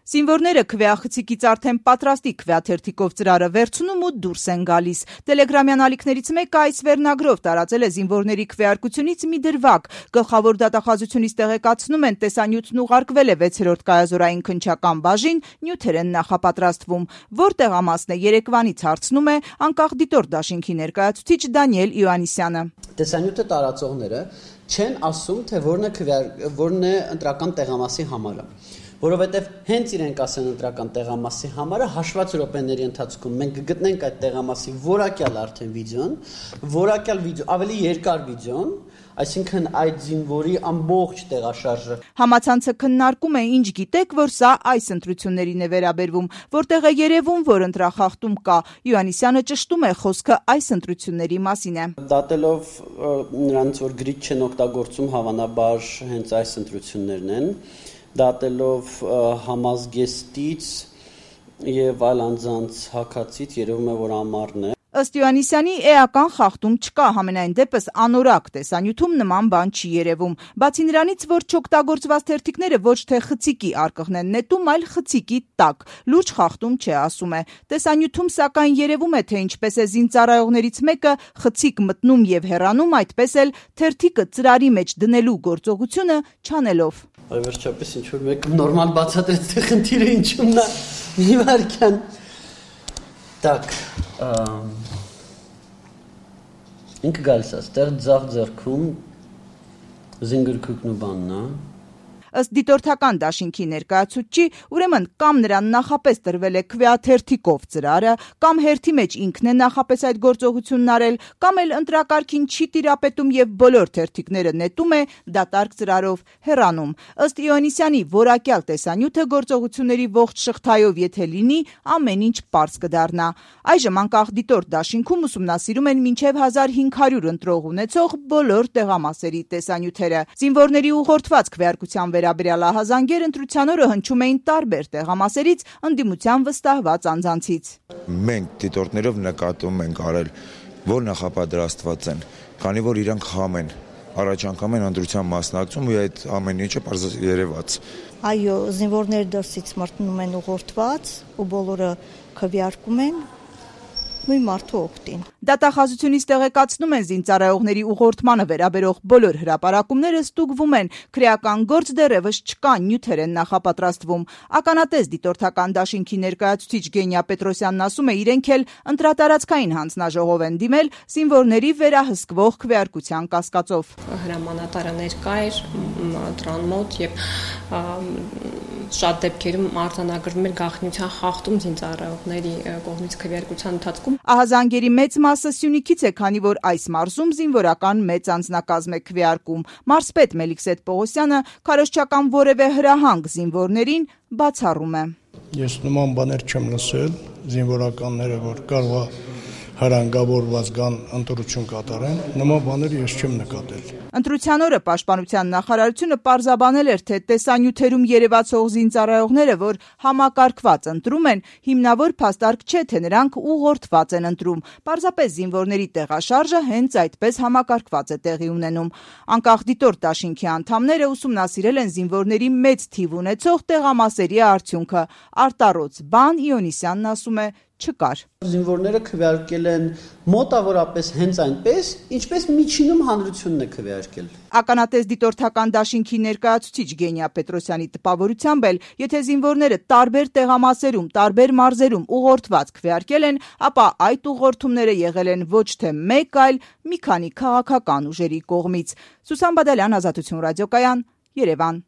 Զինվորները քվեախցիկից արդեն պատրաստի քվեաթերթիկով ծրարը վերցնում ու դուրս են գալիս։ Տելեգրամյան ալիքներից մեկը այս վերնագրով տարածել է զինվորների քվեարկությունից մի դրվագ։ Գլխավոր դատախազությունից տեղեկացնում են, տեսանյութն ուղարկվել է 6-րդ կայազորային քննչական բաժին, նյութեր են նախապատրաստվում։ Որտեղ ամասն է երեկվանից հարցնում է անկախ դիտորդ դաշինքի ներկայացուցիչ Դանիել Իոաննիսյանը։ Տեսանյութը տարածողները չեն ասում, թե որն է ընտրական տեղամասի համարը, որովհետև հենց իրենք ասեն ընտրական տեղամասի համարը, հաշված րոպեների ընթացքում մենք կգտնենք այդ տեղամասի որակյալ արդեն վիդեոն, ավելի երկար վիդեոն, այսինքն այդ զինվորի ամբողջ տեղաշարժը։ Համացանցը քննարկում է, ինչ գիտեք, որ սա այս ընտրություններին է վերաբերվում, որտեղ է երևում, որ ընտրախախտում կա։ Իոաննիսյանը ճշտում է, խոսքը այս ընտրությունների մասին է։ Դատելով նրանց, որ գրիչ չեն օգտագործում, հավանաբար հենց այս ընտրություններն են, դատելով համազգեստից եւ այլ անձանց հակացից երևում է, որ ամառն է։ Ըստ Իոաննիսյանի էական խախտում չկա, համենայն դեպս անորակ տեսանյութում նման բան չի երևում։ Բացի նրանից, որ չօգտագործված թերթիկները ոչ թե խցիկի արկղն են նետում, այլ խցիկի տակ։ Լուրջ խախտում չէ, ասում է։ Տեսանյութում սակայն երևում է, թե ինչպես է զինծառայողներից մեկը խցիկ մտնում եւ հեռանում, այդպես էլ թերթիկը ծրարի մեջ դնելու գործողությունը չանելով։ Վերջապես ինչ որ մեկը նորմալ բացատրեց, թե խնդիրը ինչումն է։ Մի վարքան։ Так, ինքը գալիս է, ստեղ ձախ ձեռքում զինգրքուկն ու բանն է։ Ըստ դիտորդական դաշինքի ներկայացուցչի, ուրեմն կամ նրան նախապես տրվել է քվեաթերթիկով ծրարը, կամ հերթի մեջ ինքն է նախապես այդ գործողությունն արել, կամ էլ ընտրակարգին չի տիրապետում եւ բոլոր թերթիկները նետում է դատարկ ծրարով հեռանում։ Ըստ Իոաննիսյանի որակյալ տեսանյութը գործողությունների ողջ շղթայով եթե լինի, ամեն ինչ պարզ կդառնա։ Այժմ անկախ դիտորդ դաշինքում ուսումնասիրում են մինչև 1500 ընտրող ունեցող բոլոր տեղամասերի տեսանյութերը։ Զինվորների ուղղորդված քվեարկության վերաբերյալ ահազանգեր ընտրության օրը հնչում էին տարբեր տեղամասերից ընդդիմության վստահված անձանցից։ Մենք դիտորդներով նկատում ենք արել, որ նախապատրաստված են, քանի որ իրանք խամ են, առաջ անգամ են ընտրության մասնակցում ու այդ ամեն ինչը պարզ երևաց։ Այո, զինվորները դրսից մրցնում են ուղղորդված ու բոլորը քվեարկում են նույն մարդու օգտին։ Դատախազությունից տեղեկացնում են զինծառայողների ուղղորդմանը վերաբերող բոլոր հրապարակումները ստուգվում են, քրեական գործ դեռևս չկա, նյութեր են նախապատրաստվում։ Ականատես դիտորդական դաշինքի ներկայացուցիչ Գենիա Պետրոսյանն ասում է, իրենք էլ ընտրատարածքային հանձնաժողով են դիմել զինվորների վերահսկվող քվեարկության կասկածով։ Հրամանատարը ներկա էր դրան մոտ եւ շատ դեպքերում արձանագրվում էր գաղտնիության խախտում զինծառայողների կողմից քվեարկության ընթացքում։ Ահազանգերի մեծ մասը Սյունիքից է, քանի որ այս մարզում զինվորական մեծ անձնակազմ է քվեարկում։ Մարզպետ Մելիքսեթ Պողոսյանը քարոզչական որևէ հրահանգ զինվորներին բացառում է։ Ես նման բաներ չեմ լսել, զինվորականները, որ կարող է հրանգավորված գան ընտրություն կատարեն, նման բաներ ես չեմ նկատել։ Ընտրության օրը Պաշտպանության նախարարությունը պարզաբանել էր, թե տեսանյութերում երևացող զինծառայողները, որ համակարգված ընտրում են, հիմնավոր փաստարկ չէ, թե նրանք ուղղորդված են ընտրում։ Պարզապես զինվորների տեղաշարժը հենց այդպես համակարգված է տեղի ունենում։ Անկախ դիտորդ դաշինքի անդամները ուսումնասիրել են զինվորների մեծ թիվ ունեցող տեղամասերի արդյունքը։ Արտառոց բան Իոաննիսյանն ասում է չկար։ Զինվորները քվեարկել են մոտավորապես հենց այնպես, ինչպես միջինում հանրությունն է քվեարկել։ Ականատես դիտորդական դաշինքի ներկայացուցիչ Գենիա Պետրոսյանի տպավորությամբ էլ, եթե զինվորները տարբեր տեղամասերում, տարբեր մարզերում ուղղորդված քվեարկել են, ապա այդ ուղղորդումները եղել են ոչ թե մեկ, այլ մի քանի քաղաքական ուժերի կողմից։ Սուսան Բադալյան, Ազատություն ռադիոկայան, Երևան։